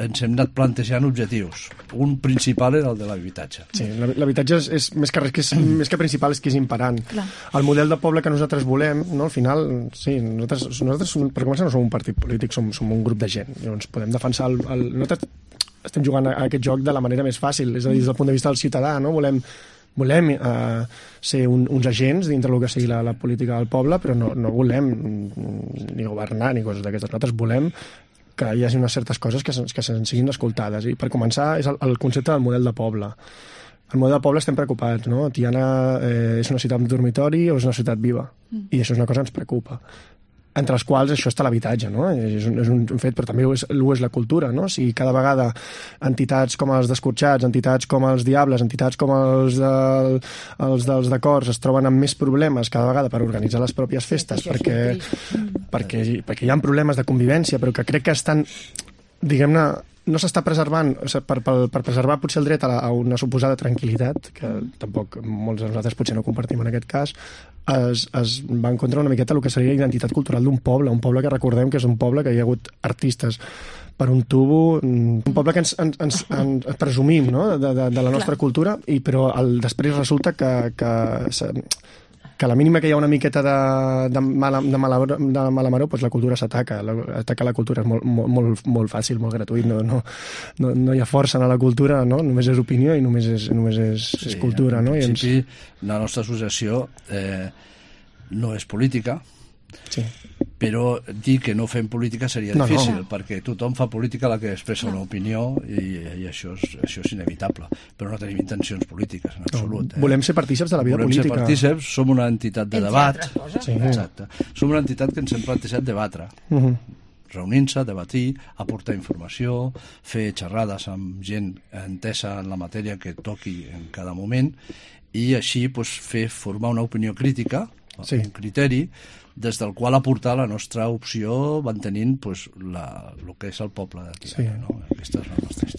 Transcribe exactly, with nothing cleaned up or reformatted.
ens hem anat plantejant objectius. Un principal era el de l'habitatge. Sí, l'habitatge és, és més que res, que és, més que principal, és que és imperant. Clar. El model de poble que nosaltres volem, no, al final, sí, nosaltres, nosaltres per començar, no som un partit polític, som, som un grup de gent. Llavors podem defensar el, el... Nosaltres estem jugant a aquest joc de la manera més fàcil, és a dir, des del punt de vista del ciutadà, no? Volem, volem eh, ser un, uns agents dintre del que sigui la, la política del poble, però no, no volem ni governar ni coses d'aquestes. Nosaltres volem que hi hagi unes certes coses que, que se'n siguin escoltades. I per començar és el, el concepte del model de poble. El model de poble estem preocupats, no? Tiana eh, és una ciutat dormitori o és una ciutat viva? Mm. I això és una cosa que ens preocupa. Entre els quals això està l'habitatge, no? És un, és un fet, però també ho és, ho és la cultura, no? Si cada vegada entitats com els d'Escorxats, entitats com els Diables, entitats com els, de, els dels d'acords es troben amb més problemes cada vegada per organitzar les pròpies festes, perquè, perquè, perquè hi ha problemes de convivència, però que crec que estan, diguem-ne, no s'està preservant, o sigui, per, per, per preservar potser el dret a, la, a una suposada tranquil·litat, que tampoc molts de nosaltres potser no compartim en aquest cas, es, es va en contra una miqueta el que seria la identitat cultural d'un poble, un poble que recordem que és un poble que hi ha hagut artistes per un tubo, un poble que ens, ens, ens, ens presumim, no? de, de, de la nostra Clar. cultura, i però el, després resulta que, que que a la mínima que hi ha una miqueta de, de, mala, de, mala, de mala maror, doncs la cultura s'ataca. Atacar la cultura és molt, molt, molt, molt fàcil, molt gratuït. No, no, no, no hi ha força en la cultura, no? Només és opinió i només és, només és, sí, és cultura. En no? principi, ens... la nostra associació eh, no és política, sí. però dir que no fem política seria no, difícil, no. perquè tothom fa política la que expressa una opinió i, i això, és, això és inevitable, però no tenim intencions polítiques en absolut. No. Eh? Volem ser partíceps de la vida Volem política. Volem ser partíceps, som una entitat de Entre debat. Sí. Exacte. Som una entitat que ens hem plantejat debatre. Uh-huh. Reunint-se, debatir, aportar informació, fer xerrades amb gent entesa en la matèria que toqui en cada moment i així pues, fer formar una opinió crítica, sí. un criteri, des del qual aportar la nostra opció mantenint pues, la, el que és el poble de Tiana. Sí. No? Aquesta és la nostra història.